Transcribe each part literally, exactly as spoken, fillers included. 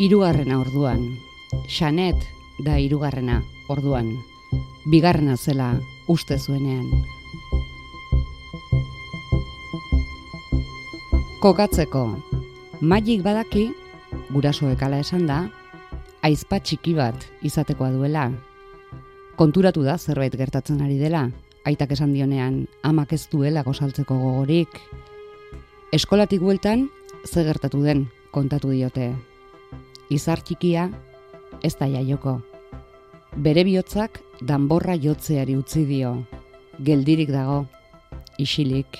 Hirugarrena orduan. Xanet da hirugarrena orduan. Bigarrena zela uste zuenean. Kokatzeko. Magik badaki, gurasoek hala esan da, aizpa txiki bat izatekoa duela. Konturatu da zerbait gertatzen ari dela, aitak esan dionean amak ez duela gosaltzeko gogorik. Eskolatik bueltan, ze gertatu den kontatu diote. Izar txikia ez da jaioko. Bere bihotzak danborra jotzeari utzi dio. Geldirik dago, isilik.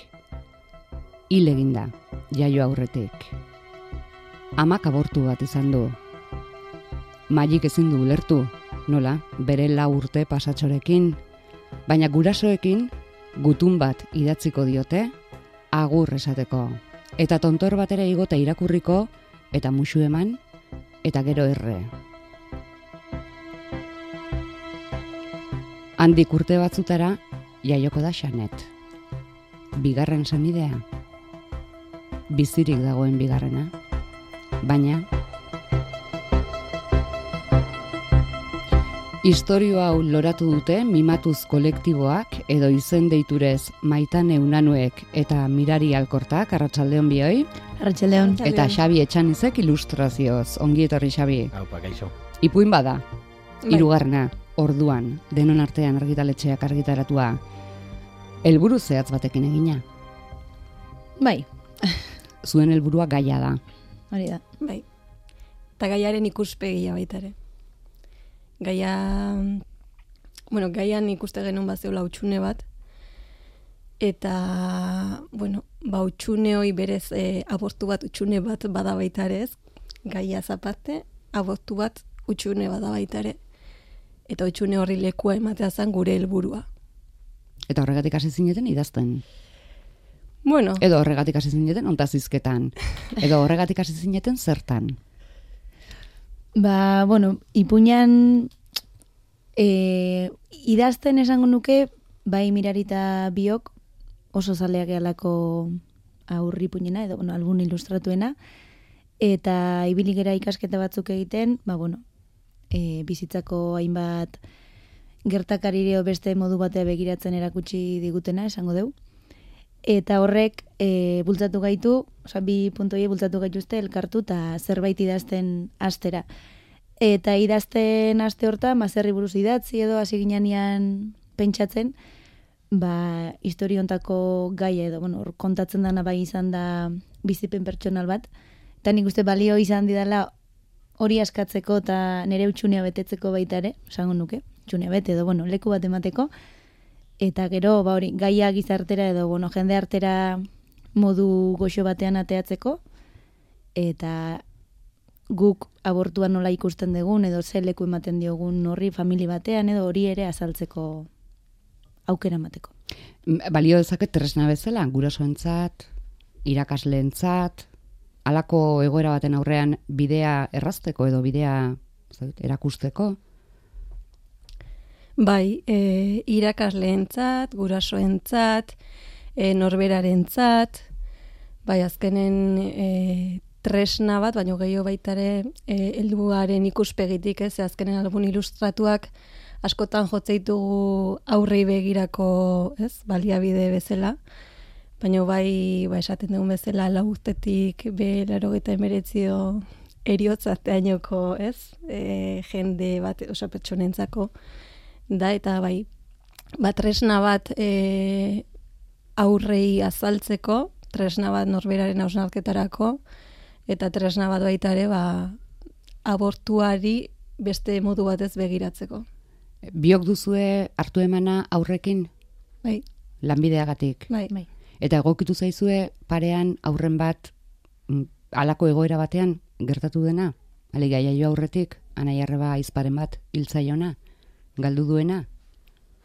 Hil eginda, jaio aurretik. Amak abortu bat izan du. Magik ezin du ulertu, nola, bere lau urte pasatxorekin, baina gurasoekin gutun bat idatziko diote, agur esateko. Eta tontor batera igota irakurriko, eta musu eman, eta gero erre. Handik urte batzutara, jaioko da Xanet. Bigarren senidea. Bizirik dagoen bigarrena. Baina istorio hau loratu dute Mimatuz kolektiboak edo izen deiturez Maitane Unanuek eta Mirari Alkortak, arratsaldeon bioi. Arratsaldeon. Eta Xabi Etxanizek ilustrazioz. Ongi etorri, Xabi. Aupa, kaixo. Ipuin bada. Hirugarrena orduan, denon artean argitaletxeak argitaratua. Helburu zehatz batekin egina. Bai. Zuen helburua gaia da. Hori da. Bai. Eta gaiaren ikuspegia baita ere. Gaia, bueno, gaian ikuste genuen bat zeula utxune bat, eta, bueno, ba utxune hoi berez e, abortu bat utxune bat bada baita ere ez, gaia zaparte, abortu bat utxune bada baita ere, eta utxune horri lekua ematea zen gure helburua. Eta horregatik hasi zineten idazten? Bueno. Edo horregatik hasi zineten ontazizketan? Edo horregatik hasi zineten zertan? Ba, bueno, ipuinan e, idazten esango nuke, bai Mirarita biok oso zaleak ealako aurri ipuinena, edo, bueno, albun ilustratuena, eta ibili gera ikasketa batzuk egiten, ba, bueno, e, bizitzako hainbat gertakarire beste modu batea begiratzen erakutsi digutena, esango deu. Eta horrek e, bultzatu gaitu, oza, bi puntoie bultzatu gaituzte elkartu eta zerbait idazten astera. Eta idazten aste hortan, ba, zerri buruz idatzi edo hasi ginean pentsatzen, ba, historiontako gaia edo, bueno, kontatzen dana bai izan da bizipen pertsonal bat. Eta nik uste balio izan didala hori askatzeko eta nire utxunea betetzeko baita ere, esango nuke, utxunea bete edo, bueno, leku bat emateko. Eta gero, ba hori, gaia gizartera edo, bueno, jende artera modu goxo batean ateatzeko, eta guk abortuan nola ikusten dugun, edo ze leku ematen diogun horri famili batean, edo hori ere azaltzeko aukera emateko. Balio dezaket tresna bezala, gurasoentzat, irakasleentzat, halako egoera baten aurrean bidea errazteko edo bidea erakusteko? Bai, e, irakasleentzat, gurasoentzat, e, norberarentzat, bai azkenen e, tresna bat, baina gehiago baitare e, helduaren ikuspegitik, ez, azkenen albun ilustratuak askotan jotzeitugu aurrei begirako, ez, baliabide bezala, baina bai, ba, esaten dugun bezala lagustetik be laurogeita hemeretzio eriotzateainoko, ez, e, jende bat, oso pertsonentzako, da, eta bai, bat tresna bat e, aurrei azaltzeko, tresna bat norberaren hausnarketarako, eta tresna bat baita ere, ba, abortuari beste modu batez begiratzeko. Biok duzue hartu emana aurrekin? Bai. Lanbideagatik? Bai, bai. Eta egokitu zaizue parean aurren bat halako egoera batean gertatu dena? Alegia jaio aurretik, anai arreba aizparen bat hiltzaiona? Galdu duena?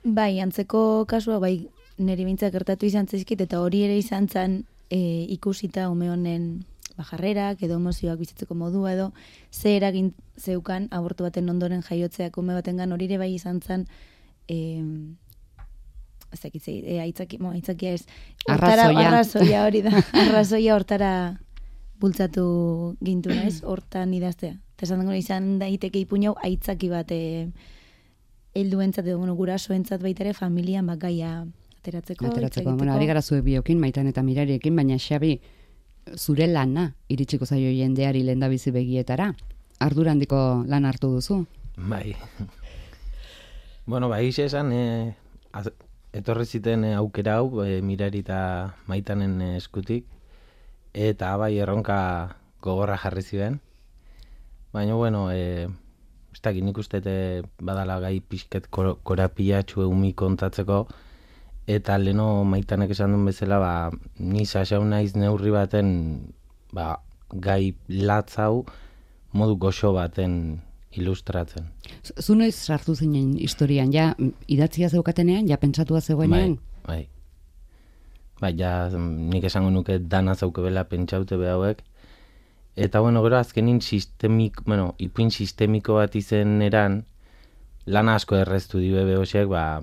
Bai, antzeko kasua, bai, niri bintzak gertatu izan zaizkit, eta hori ere izan zen e, ikusita ume honen bajarrerak, edo emozioak bizitzeko modua, edo ze eragin zeukan abortu baten ondoren jaiotzeak ume batengan, hori ere bai izan zen e, ez dakitzei, e, aitzaki, mo, aitzakia ez, hortara, arrazoia. arrazoia hori da, arrazoia hortara bultzatu gintu, ez, hortan idaztea. Eta esan dugu izan daiteke ipuin hau aitzaki bat e, helduentzat edo bueno, gurasoentzat baita ere familian bakaia ateratzeko. Ateratzeko, bueno, ari gara zuek biokin, Maitan eta Mirariekin, baina Xabi, zure lana iritsiko zaio jendeari lehendabizi begietara. Ardura handiko lan hartu duzu. Bai. Bueno, bai, esan, e, az, etorri ziten e, aukera hau, e, Mirari eta Maitanen e, eskutik, eta bai erronka gogorra jarri ziren. Baina, bueno, e, ez dakit nik uste e, badala gai pixket kor, korapilatxu eumi kontatzeko, eta leno Maitanek esan duen bezala, ba, ni sasau naiz neurri baten ba, gai latz hau modu goxo baten ilustratzen. Zu noiz sartu zinen historian, ja idatzia zeukatenean, ja pentsatua zegoenean? Bai, bai. Bai, ja nik esango nuke dana zaukebela pentsaute behauek. Eta bueno, gero azkenin sistemik, bueno, ipuin sistemiko bat izen eran, lana asko erreztu dibe behosiek, ba,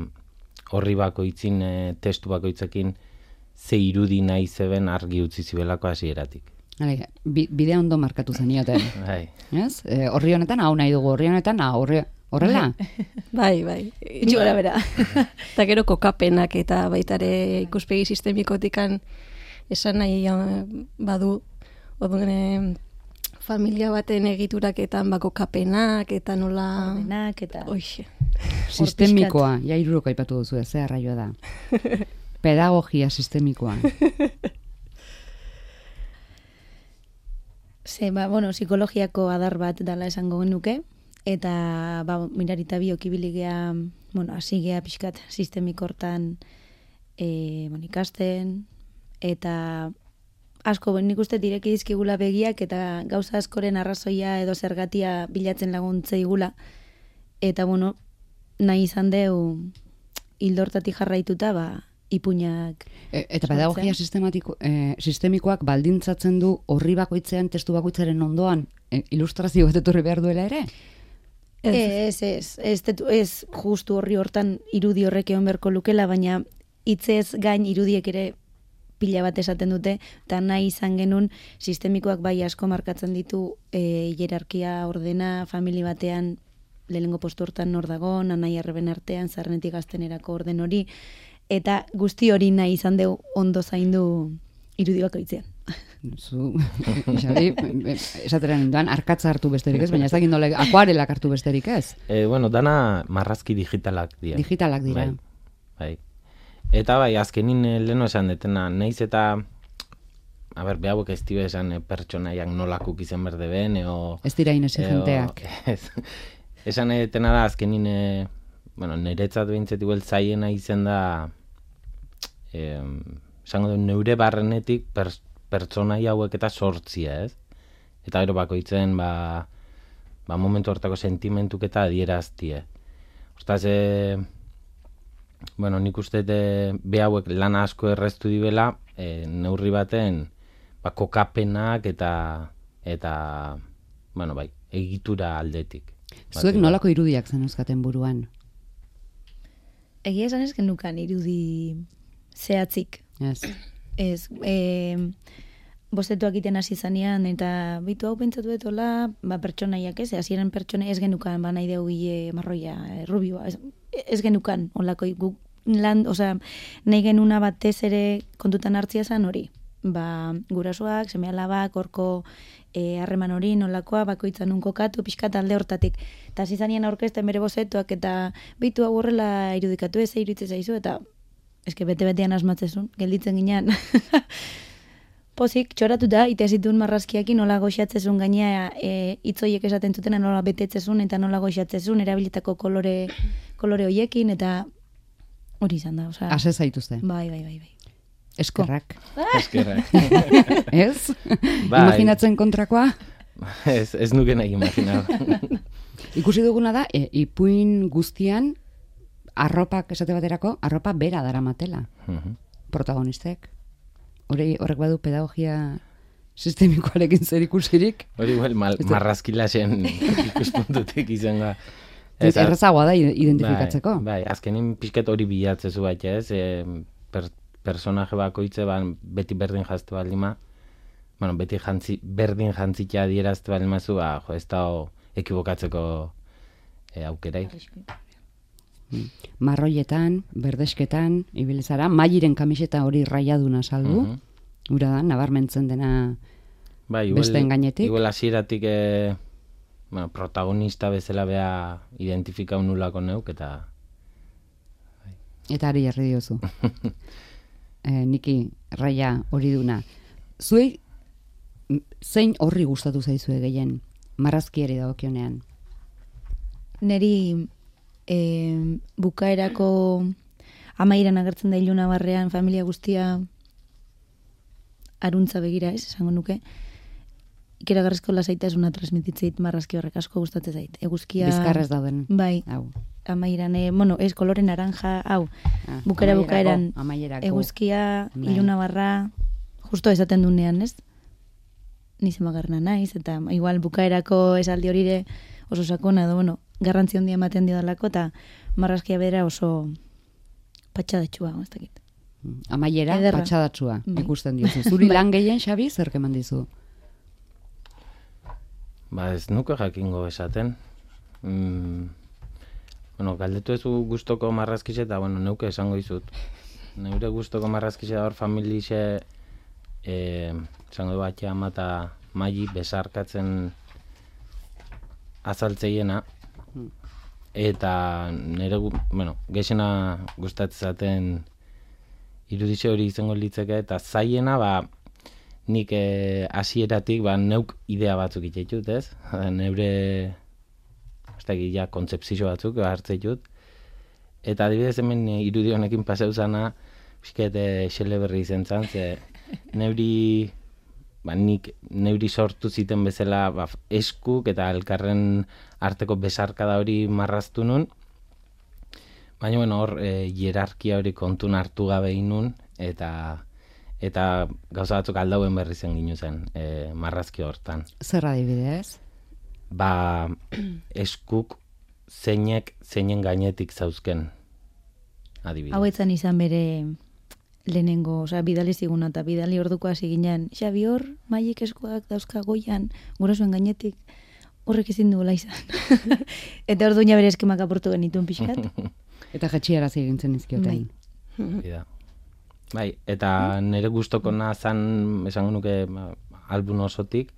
horri bakoitzin, e, testu bakoitzekin, ze irudi nahi zeben argi utzi zibelako hasieratik. Hale, bi, bidea ondo markatu zenioten. Bai. Ez? E, horri honetan hau nahi dugu, horri honetan hau, horri, horrela? Bai, bai. Itxugara bera. Eta gero kokapenak eta baitare ikuspegi sistemikotikan esan nahi eh, badu, odun, eh, familia baten egituraketan bako kapenak eta nola... Ordenak eta... Oixe. Sistemikoa, ja iruroko aipatu duzu, ez, arraioa da. Pedagogia sistemikoa. Ze, ba, bueno, psikologiako adar bat dala esango genuke, eta ba, Mirarita biok ibiligea, bueno, asigea pixkat sistemiko hortan e, bon, ikasten, eta asko, ben, nik uste direki dizkigula begiak, eta gauza askoren arrazoia edo zergatia bilatzen laguntza igula, eta bueno, nahi izan deu hildortatik jarraituta, ba, ipuinak. E, eta pedagogia sistematiko, e, sistemikoak baldintzatzen du horri bakoitzean, testu bakoitzaren ondoan, e, ilustrazio bat etorri behar duela ere? Ez, ez, ez, ez, ez justu horri hortan irudi horrek egon beharko lukela, baina hitzez gain irudiek ere pila bat esaten dute, eta nahi izan genuen sistemikoak bai asko markatzen ditu e, hierarkia ordena, famili batean lehenengo postu hortan nor dagon, anai arreben artean, zarrenetik gaztenerako orden hori, eta guzti hori nahi izan deu ondo zaindu irudi bakoitzean. Zu, Xabi, esatera ninduan, arkatza hartu besterik ez, baina ez dakit nola, akuarelak hartu besterik ez? E, bueno, dana marrazki digitalak dira. Digitalak dira. Bai, bai. Eta bai, azkenin leheno esan detena, naiz eta, a ber, behauek ez dibe esan pertsonaiak nolakuk izan berde ben, eo... Ez dira inexigenteak. Ez, esan detena da, azkenin, e, bueno, niretzat behintzat igual zaiena izen da, eh, esango du, neure barrenetik pers, pertsonai hauek eta sortzia, ez? Eta gero bakoitzen, ba, ba momentu hortako sentimentuk eta adieraztie. Ostaz, e, bueno, nik uste be hauek lan asko erreztu dibela, e, neurri baten, ba, kokapenak eta, eta, bueno, bai, egitura aldetik. Zuek nolako irudiak zen euskaten buruan? Egia esan ez genukan irudi zehatzik. Ez. Ez, e, bostetuak iten hasi zanean, eta bitu hau pentsatu etola, ba, pertsonaiak ez, hasieran pertsona ez genukan, ba, nahi deu gile marroia, e, rubioa, ez, ez genukan, onlako, guk lan, osea, nahi genuna batez ere kontutan hartzia zan hori. Ba, gurasoak, seme alabak, horko harreman e, hori, nolakoa, bakoitzan un kokatu, pixkat alde hortatik. Eta hasi zanean aurkezten bere bozetuak, eta bitu hau horrela irudikatu ez, iruditzen zaizu, eta eske bete-betean asmatzezun, gelditzen ginean. Pozik, txoratu da, ite zituen marrazkiakin nola goxatzezun gainea e, itzoiek esaten zutena nola betetzezun eta nola goxatzezun, erabilitako kolore, kolore hoiekin, eta hori izan da. Osa, Ase zaituzte. Bai, bai, bai, bai. Eskerrak. Eskerrak. Ez? Bai. Imaginatzen kontrakoa? Ez, ez nuke nahi imaginau. Ikusi duguna da, e, ipuin guztian, arropak esate baterako, arropa bera daramatela. Uh-huh. Protagonistek. Hori, horrek badu pedagogia sistemikoarekin zer ikusirik. Hori igual, mal, marrazkilasen ikuspuntutik izango. Ez, errazagoa da identifikatzeko. Bai, bai, azkenin pixket hori bilatzezu bat, ez? E, per, personaje bakoitze, ba, beti berdin jazte baldima, bueno, beti jantzi, berdin jantzitea adierazte bali mazu, ba, jo, ez da ekibokatzeko e, aukerai. Marroietan, berdesketan, ibilizara, Mairen kamiseta hori raiaduna saldu, uh -huh. Ura da, nabarmentzen dena ba, igual, besteen gainetik. Igual hasieratik e, bueno, protagonista bezala bea identifikau nulako neuk, eta... Eta ari jarri diozu. e, niki, raia hori duna. Zuei, zein horri gustatu zaizue gehien, marrazkiari dagokionean? Neri e, bukaerako amairan agertzen da Iluna Barrean, familia guztia aruntza begira, ez, esango nuke. Ikeragarrizko lasaitasuna transmititzeit marrazki horrek asko gustatzen zait. Eguzkia... Bizkarrez dauden. Bai. Hau. Amairan, e, bueno, ez kolore naranja, hau. Ah, bukera bukaeran amaierako. Eguzkia, bai. Iluna Barra, justo esaten dunean, ez? Nize magarna naiz, eta igual bukaerako esaldi horire oso sakona, edo, bueno, garrantzi handia ematen dio dalako, eta marrazkia bera oso patxadatxua, ez dakit. Amaiera, Ederra. Patxadatsua, Bai. ikusten diozu. Zuri lan gehien, Xabi, zer keman dizu? Ba, ez nuke jakingo esaten. Mm, bueno, galdetu ezu gustoko marrazkixe, eta, bueno, neuke esango izut. Neure gustoko marrazkixe da hor familixe, eh, esango du batxe ama eta Maili besarkatzen azaltzeiena, eta nire, bueno, gexena gustatzen zaten irudize hori izango litzeke, eta zaiena, ba, nik hasieratik ba, neuk idea batzuk itxetut, ez? Neure, ez da, ja, kontzepzio batzuk hartzei dut. Eta adibidez hemen irudi honekin pasau zana, pixket xele berri izen zan, ze neuri, ba, nik neuri sortu ziten bezala ba, eskuk eta elkarren arteko besarkada hori marraztu nun. Baina, bueno, hor, e, hierarkia hori kontun hartu gabe inun, eta eta gauza batzuk aldauen berri zen ginu zen, e, marrazki hortan. Zer adibidez? Ba, eskuk zeinek zeinen gainetik zauzken adibidez. Hau etzan izan bere lehenengo, osea, bidali ziguna, eta bidali orduko hasi ginen, Xabi hor, Mailik eskuak dauzka goian, gurasoen gainetik, horrek ezin duela izan. Eta orduina bere eskemak aportu genituen pixkat. Eta jetxiaraz egintzen izkioten. Bai. Bai, eta nire gustokona zan, esango nuke, ba, album osotik,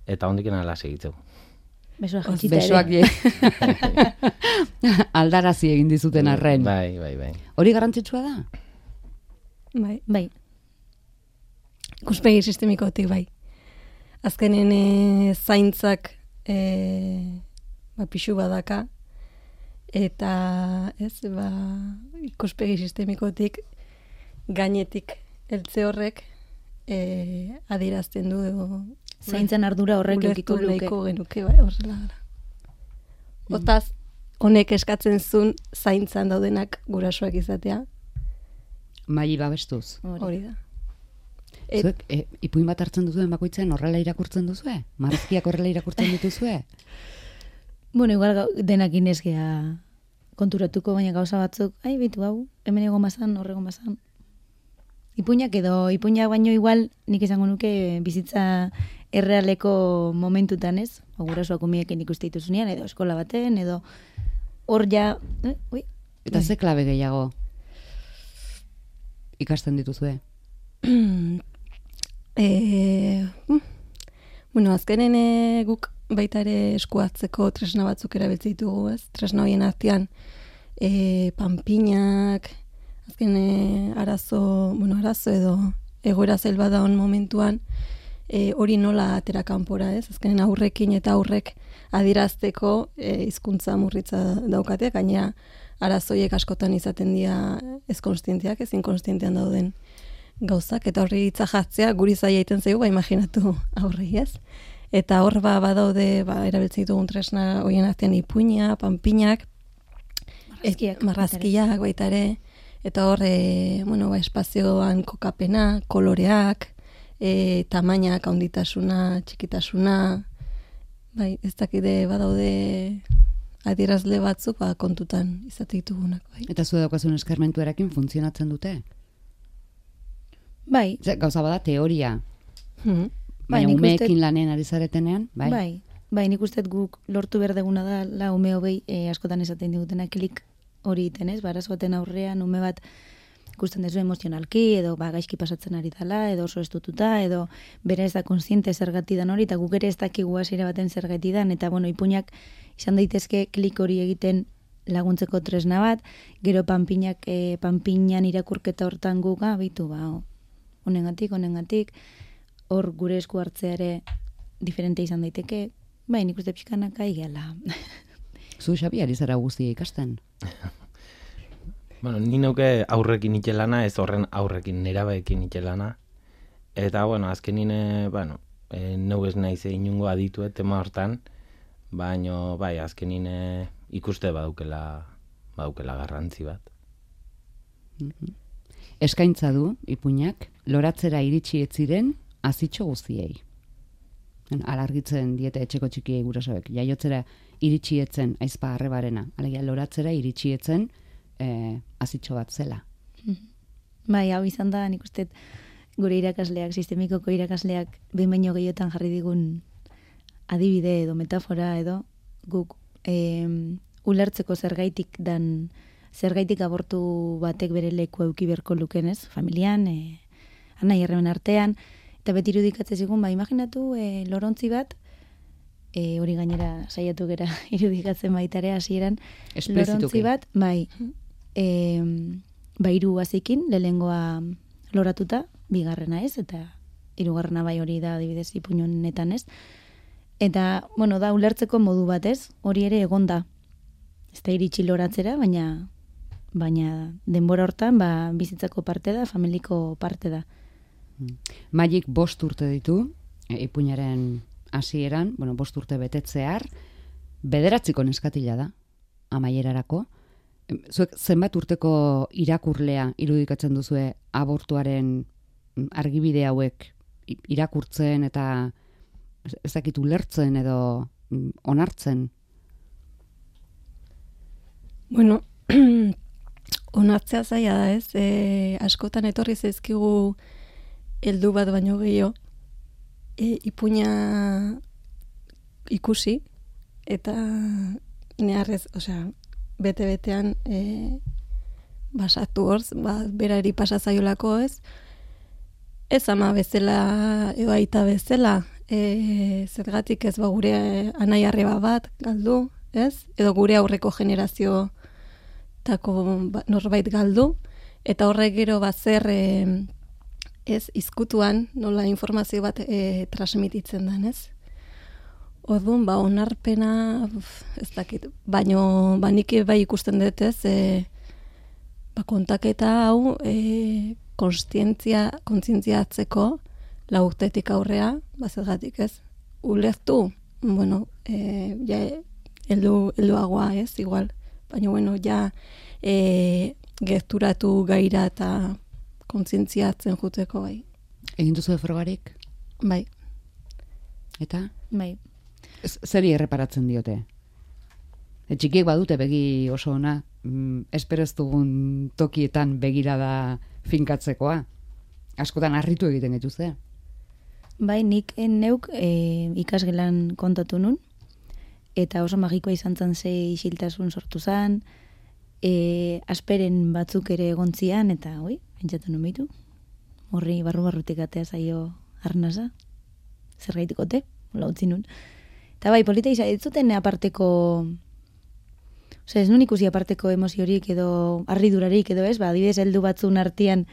eta hondik ala segitzeu. Besoak jetxita ere. Besoak aldarazi egin dizuten arren. Bai, bai, bai. Hori garrantzitsua da? Bai. Bai. Ikuspegi sistemikotik, bai. Azkenen e, zaintzak e, ba, pixu badaka, eta ez, ba, ikuspegi sistemikotik gainetik heltze horrek e, adierazten du edo Zaintzan ardura horrek eukiko luke. Ulertu genuke, bai, horrela gara. Otaz, honek eskatzen zuen zaintzan daudenak gurasoak izatea. Maili babestuz. Hori da. Et, Zuek, e, ipuin bat hartzen duzuen bakoitzen horrela irakurtzen duzue? Marrazkiak horrela irakurtzen dituzue? Bueno, igual gau- denak inezgea konturatuko, baina gauza batzuk, ai, bitu hau, hemen egon bazan, horrego bazan. Ipuinak edo, ipuinak baino igual, nik izango nuke bizitza errealeko momentutan, ez? Gurasoak umiekin ikuste dituzunean, edo eskola baten, edo hor ja... Eh? Ui. Eta ze klabe gehiago ikasten dituzue? e, bueno, azkenen e, guk baita ere eskuatzeko tresna batzuk erabiltzen ditugu, ez? Tresna horien artean e, panpinak, azken e, arazo, bueno, arazo edo egoera zail bat daun momentuan, e, hori nola atera kanpora, ez? Azkenen aurrekin eta aurrek adierazteko e, hizkuntza murritza daukate, gainera arazoiek askotan izaten dira ez konstienteak, ez inkonstientean dauden gauzak, eta horri hitza jartzea guri zaila egiten zaigu, ba imaginatu aurrei, ez? Eta hor ba badaude, ba erabiltzen ditugun tresna horien artean ipuina, panpinak, Marrazkiak. et, marrazkiak baita ere, eta hor e, bueno, ba, espazioan kokapena, koloreak, e, tamainak, handitasuna, txikitasuna, bai, ez dakide badaude adierazle batzuk ba, kontutan izate ditugunak, bai. Eta zu daukazun eskarmentuarekin funtzionatzen dute? Bai, Ze, gauza bada teoria. Mhm. Baina nik umeekin uste- lanen ari zaretenean, bai. Bai, bai, nik uste guk lortu berdeguna da, la ume hobei e, askotan esaten digutena klik hori iten, ez? Ba, arazo baten aurrean ume bat ikusten dezu emozionalki, edo ba, gaizki pasatzen ari dela, edo oso estututa, edo bere ez da konsiente zergati dan hori, eta guk ere ez dakigu hasiera baten zergati dan, eta bueno, ipuinak izan daitezke klik hori egiten laguntzeko tresna bat, gero panpinak, e, panpinan irakurketa hortan guk, ah, bitu, ba, honengatik, honengatik, hor gure esku hartzea ere diferente izan daiteke, bai, nik uste pixkanak aigela. Zu, Xabi, ari zara guztia ikasten. Bueno, ni neuke aurrekin itxelana, ez horren aurrekin nerabeekin itxelana. Eta, bueno, azkenin, e, bueno, e, neu ez naiz inungo aditu tema hortan, baino, bai, azkenin e, ikuste badukela, badukela garrantzi bat. Eskaintza du, ipuinak, loratzera iritsi ez ziren azitxo guztiei. Alargitzen diete etxeko txikiei gurasoek. Jaiotzera iritsi etzen aizpa arrebarena. Alegia, loratzera iritsi etzen e, azitxo bat zela. Bai, hau izan da, nik uste gure irakasleak, sistemikoko irakasleak behin baino gehiotan jarri digun adibide edo metafora edo guk e, ulertzeko zergaitik dan zergaitik abortu batek bere leku euki berko lukenez, familian, e, anai herremen artean, eta beti irudikatzen zigun, ba, imaginatu e, lorontzi bat, e, hori gainera saiatu gera irudikatzen baitare hasieran, lorontzi bat, bai, e, ba, hiru azikin, lehengoa loratuta, bigarrena ez, eta hirugarrena bai hori da adibidez ipuinetan ez. Eta, bueno, da ulertzeko modu bat ez, hori ere egonda. Ez da iritsi loratzera, baina baina denbora hortan ba, bizitzako parte da, familiko parte da. Magik bost urte ditu, e, ipuinaren hasieran, bueno, bost urte betetzear, bederatziko neskatila da, amaierarako. Zuek zenbat urteko irakurlea irudikatzen duzue abortuaren argibide hauek irakurtzen eta ez dakit ulertzen edo onartzen? Bueno, onartzea zaila da ez, e, askotan etorri zaizkigu heldu bat baino gehiago, e, ipuina ikusi, eta neharrez, osea, bete-betean e, basatu horz, ba, berari pasazaiolako ez, ez ama bezala, edo aita bezala, e, zergatik ez ba gure anai arreba bat galdu, ez? Edo gure aurreko generazio tako norbait galdu, eta horrek gero bat zer e, ez izkutuan nola informazio bat e, transmititzen den, ez? Orduan, ba, onarpena, uf, ez dakit, baino, ba, nik bai ikusten dut, ez, e, ba, kontaketa hau, e, konstientzia, kontzientzia atzeko, laurtetik aurrea, ba, zergatik, ez, ulertu, bueno, e, ja, eldu, elduagoa, ez, igual, baina, bueno, ja, e, gerturatu gaira eta kontzientzia atzen juteko, bai. Egin duzu frogarik? Bai. Eta? Bai. Zeri erreparatzen diote? E, txikiek badute begi oso ona, mm, espero ez dugun tokietan begirada finkatzekoa. Askotan harritu egiten getuzte. Bai, nik neuk e, ikasgelan kontatu nun, eta oso magikoa izan zen ze isiltasun sortu zen, e, asperen batzuk ere egontzian, eta oi, pentsatu nun bitu, horri barru-barrutik atea zaio arnasa, zer gaitikote, hola utzi nun. Eta bai, polita izan, ez zuten aparteko, ose, ez nun ikusi aparteko emoziorik edo harridurarik edo ez, ba, adibidez heldu batzun artean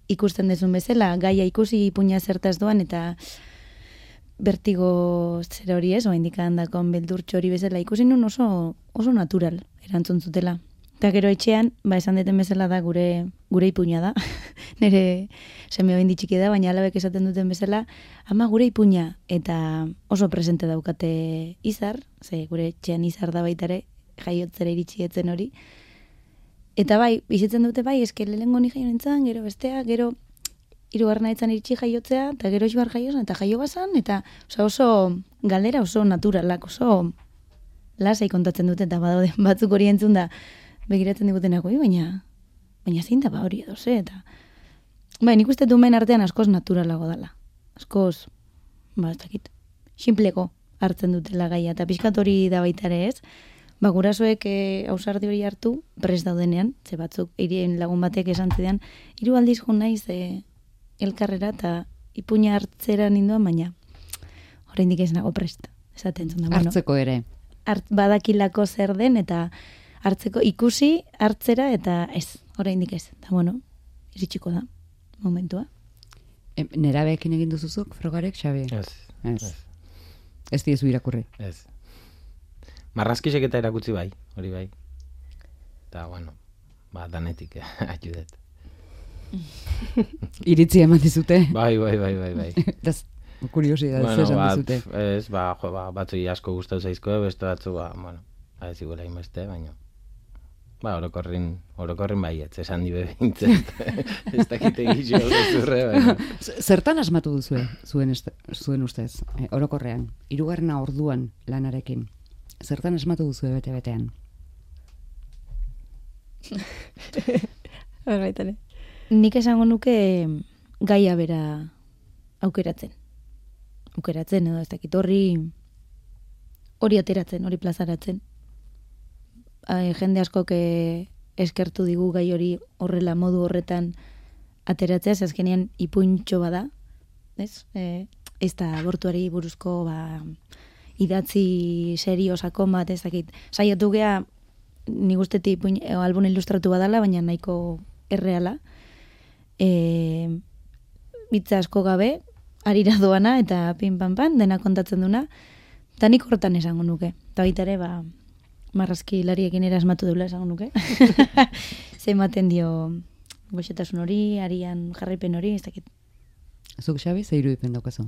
ikusten dezun bezala, gaia ikusi ipuina zertaz doan, eta bertigo zer hori ez, oa indikan dakon beldurtxo hori bezala ikusi nun oso, oso natural erantzun zutela. Eta gero etxean, ba, esan deten bezala da gure gure ipuina da. Nere seme behin ditxiki da, baina alabek esaten duten bezala, ama gure ipuina, eta oso presente daukate izar, ze gure etxean izar da baitare, jaiotzera iritsi etzen hori. Eta bai, bizitzen dute bai, eske lehengo ni jaio nintzen, gero bestea, gero hirugarrena etzan iritsi jaiotzea, eta gero xibar jaiozen, eta jaio bazan, eta oso, oso galdera oso naturalak, oso lasai kontatzen dute, eta badaude batzuk hori entzun da, begiratzen digutenako, baina baina zein da ba hori edo, ze, eta bai, nik uste dumen artean askoz naturalago dala. Askoz ba, ez dakit, simpleko hartzen dutela gaia, eta pixkat hori da baita ere ez, ba, gurasoek e, ausardi hori hartu, prest daudenean, ze batzuk, irien lagun batek esan zidan, hiru aldiz jo naiz e, elkarrera, eta ipuña hartzera ninduan, baina oraindik ez nago prest, esaten zuen da. Bueno, Hartzeko ere. hart, badakilako zer den, eta hartzeko ikusi, hartzera, eta ez, oraindik ez. Eta bueno, iritsiko da, momentua. E, nerabeekin egin duzuzuk, frogarek, Xabi? Ez. Ez. Ez. Ez diezu irakurri. Ez. Marrazkisek eta erakutsi bai, hori bai. Eta, bueno, ba, danetik, eh, ajudet. Iritzi eman dizute? Bai, bai, bai, bai, bai. Das, kuriosidad, Bueno, esan ba, dizute. pf, ez, ba, jo, ba, batzui asko gustatu zaizko, beste batzu, ba, bueno, ba, ez iguela inbeste, baina, ba, orokorrin, orokorrin baietz, esan dibe bintzet. Ez dakite gixo, zurre, baina. Z- Zertan asmatu duzue, zuen, est, zuen ustez, e, orokorrean, hirugarrena orduan lanarekin? Zertan asmatu duzue bete-betean? Hor baitane. Nik esango nuke gaia bera aukeratzen. Aukeratzen edo ez dakit horri hori ateratzen, hori plazaratzen. Ai, jende askok eh, eskertu digu gai hori horrela modu horretan ateratzea, ze azkenean ipuintxo bada, ez? E, ez da abortuari buruzko ba, idatzi serio sakon bat, ez dakit. Saiatu gea nik ustetik ipuin, e, album ilustratu badala, baina nahiko erreala. E, bitza asko gabe, arira doana eta pin pan pan, dena kontatzen duna, eta nik horretan esango nuke. Eta baita ere, ba, marrazki lariekin ere asmatu dula esango nuke. Ze ematen dio goxetasun hori, arian jarraipen hori, ez dakit. Zuk, Xabi, ze irudipen daukazu?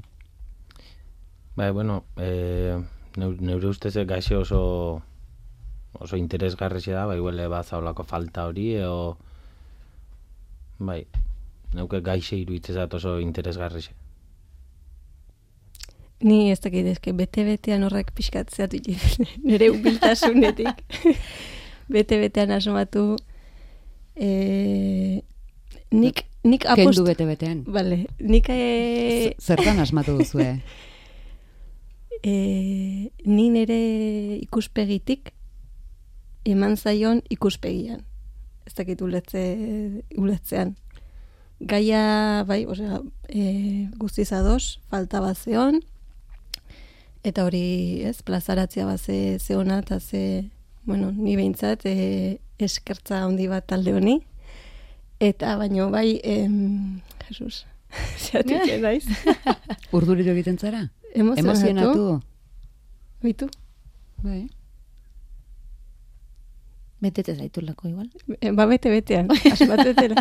Bai, bueno, e, neur- neure ustez gaxe oso oso interesgarria da, bai, huele bat zaulako falta hori, edo, bai, neuke gaixe iruditzezat oso interesgarria. Ni ez dakit, eske bete-betean horrek pixkat zeatu nire hubiltasunetik. Bete-betean asmatu. E, nik, nik apost... Kendu bete-betean? Vale, nik... E, Z- Zertan asmatu duzue? e, ni nire ikuspegitik eman zaion ikuspegian. Ez dakit uletze, uletzean. Gaia, bai, osea, e, guztiz ados, falta bat zeon, eta hori, ez, plazaratzea bat ze, ze ona, eta ze, bueno, ni behintzat, e, eskertza handi bat talde honi, eta baino, bai, em, Jesus, zeatik naiz. Urduriro egiten zara? Emozionatu. Emozionatu? Bitu? Bai. Betete zaitulako igual. E, ba, bete-betean, asmatetela.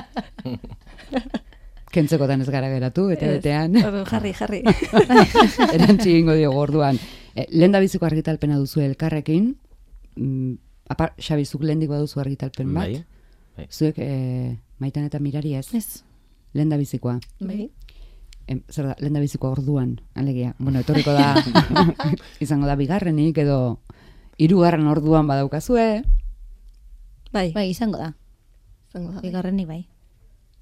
Kentzekotan ez gara geratu, bete-betean. Ordu, jarri, jarri. Erantzi egingo diogu orduan. E, lehen da biziko argitalpena duzu elkarrekin, mm, apar, Xabi, zuk lehendik baduzu argitalpen bat. Bai, bai. Zuek e, Maitan eta Mirari ez? Ez. Lehen da bizikoa. Bai. Em, zer da, lehen da bizikoa orduan, alegia. Bueno, etorriko da, izango da bigarrenik, edo hirugarren orduan badaukazue. Bai, Bai, izango da. izango da. Bigarrenik bai.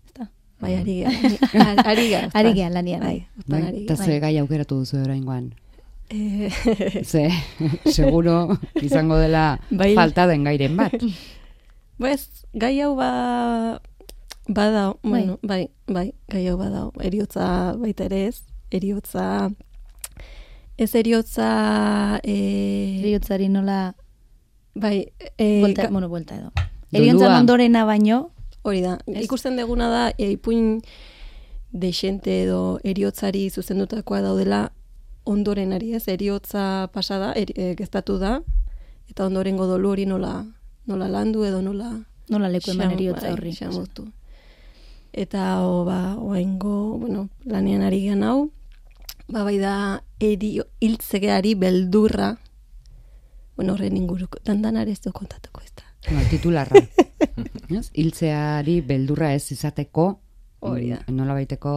Ezta? Bai, ari ga. Ari ga. Ari gehan lanian, Bai, bai. uztan Bai? ari Eta ga. ze gai aukeratu duzu oraingoan. Eh, Ze, seguro izango dela Bai. falta den gairen bat. Pues, gai hau ba... Badao, bueno, bai, bai, gai hau badao. Eriotza baita ere ez. Eriotza... Ez eriotza... Eh, Eriotzari nola bai, eh, Buelta, ga- bueno, buelta edo. Dolua. Eriontzan ondorena baino, hori da. Ez? Ikusten deguna da, e, ipuin dexente edo eriotzari zuzendutakoa daudela ondorenari, ez? Eriotza pasada, eri, e, geztatu da, eta ondorengo dolu hori nola, nola landu edo nola... nola leku eman Xam- eriotza bai, horri. xamutu. Eta, o, ba, oaingo, bueno, lanean ari gen hau, ba, bai da, erio, hiltzegeari beldurra, bueno, horren inguruko, dandanare ez du kontatuko ez da. Bueno, titularra. Ez? Hiltzeari beldurra ez izateko, Hori da. mm, nolabaiteko,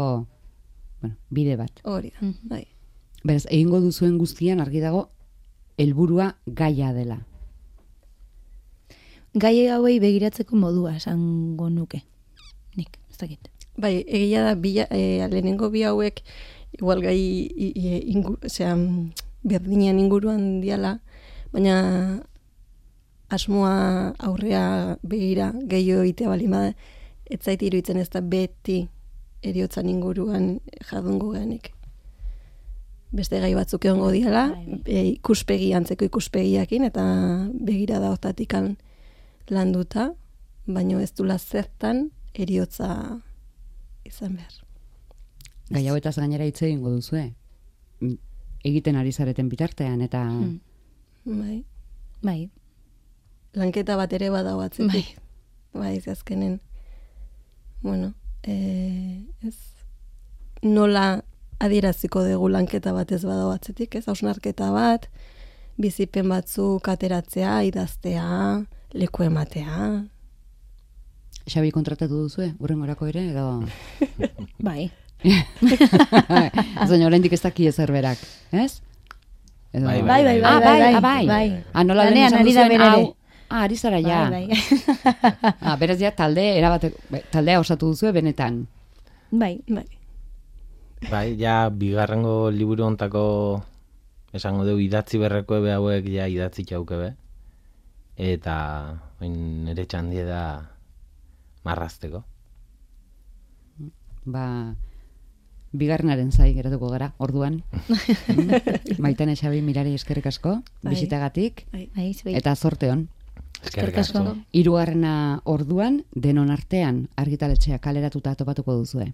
bueno, bide bat. Hori da, Mhm. bai. Beraz, egingo duzuen guztian argi dago helburua gaia dela. Gai hauei begiratzeko modua esango nuke. Nik, ez dakit. Bai, egia da, bila, e, lehenengo bi hauek igual gai i, i, ingu, osea, berdinen inguruan diala, baina asmoa aurrea begira gehiago egitea balin bada, ez zait iruditzen ez da beti eriotzan inguruan jardungo geanik. Beste gai batzuk egongo diala, e, ikuspegi, antzeko ikuspegiakin, eta begira da hortatikan landuta, baino ez dula zertan eriotza izan behar. Gai hauetaz gainera hitz egingo duzue. Egiten ari zareten bitartean, eta... Hmm. Bai. Bai. Lanketa bat ere badago atzetik. Bai, ez azkenen. Bueno, e, ez nola adieraziko dugu lanketa bat ez badago atzetik, ez? Hausnarketa bat, bizipen batzuk ateratzea, idaztea, leku ematea. Xabi kontratatu duzue, urrengorako ere, edo... Bai. Zaino, oraindik ez daki ezer berak, ez? Edo... Bai, Bai, bai, Ah, bai, bai, bai, bai. bai. Ah, nola lehen Lanean esan ari da duzuen, bere ere. hau... Ah, ari zara ja. Bai, bai. Ah, beraz ja, talde, erabate, taldea osatu duzue benetan. Bai. Bai. Bai, ja, bigarrengo liburu ontako esango dugu idatzi berreko ebe hauek ja idatzi txauke be. Eta oin nire txandie da marrazteko. Ba, bigarrenaren zai geratuko gara, orduan. Maitane Xabi Mirari eskerrik asko, Bai. bisitagatik, Bai, zuei. eta zorte on. Eskerrik asko. asko. Hirugarrena orduan, denon artean argitaletxea kaleratuta topatuko duzue.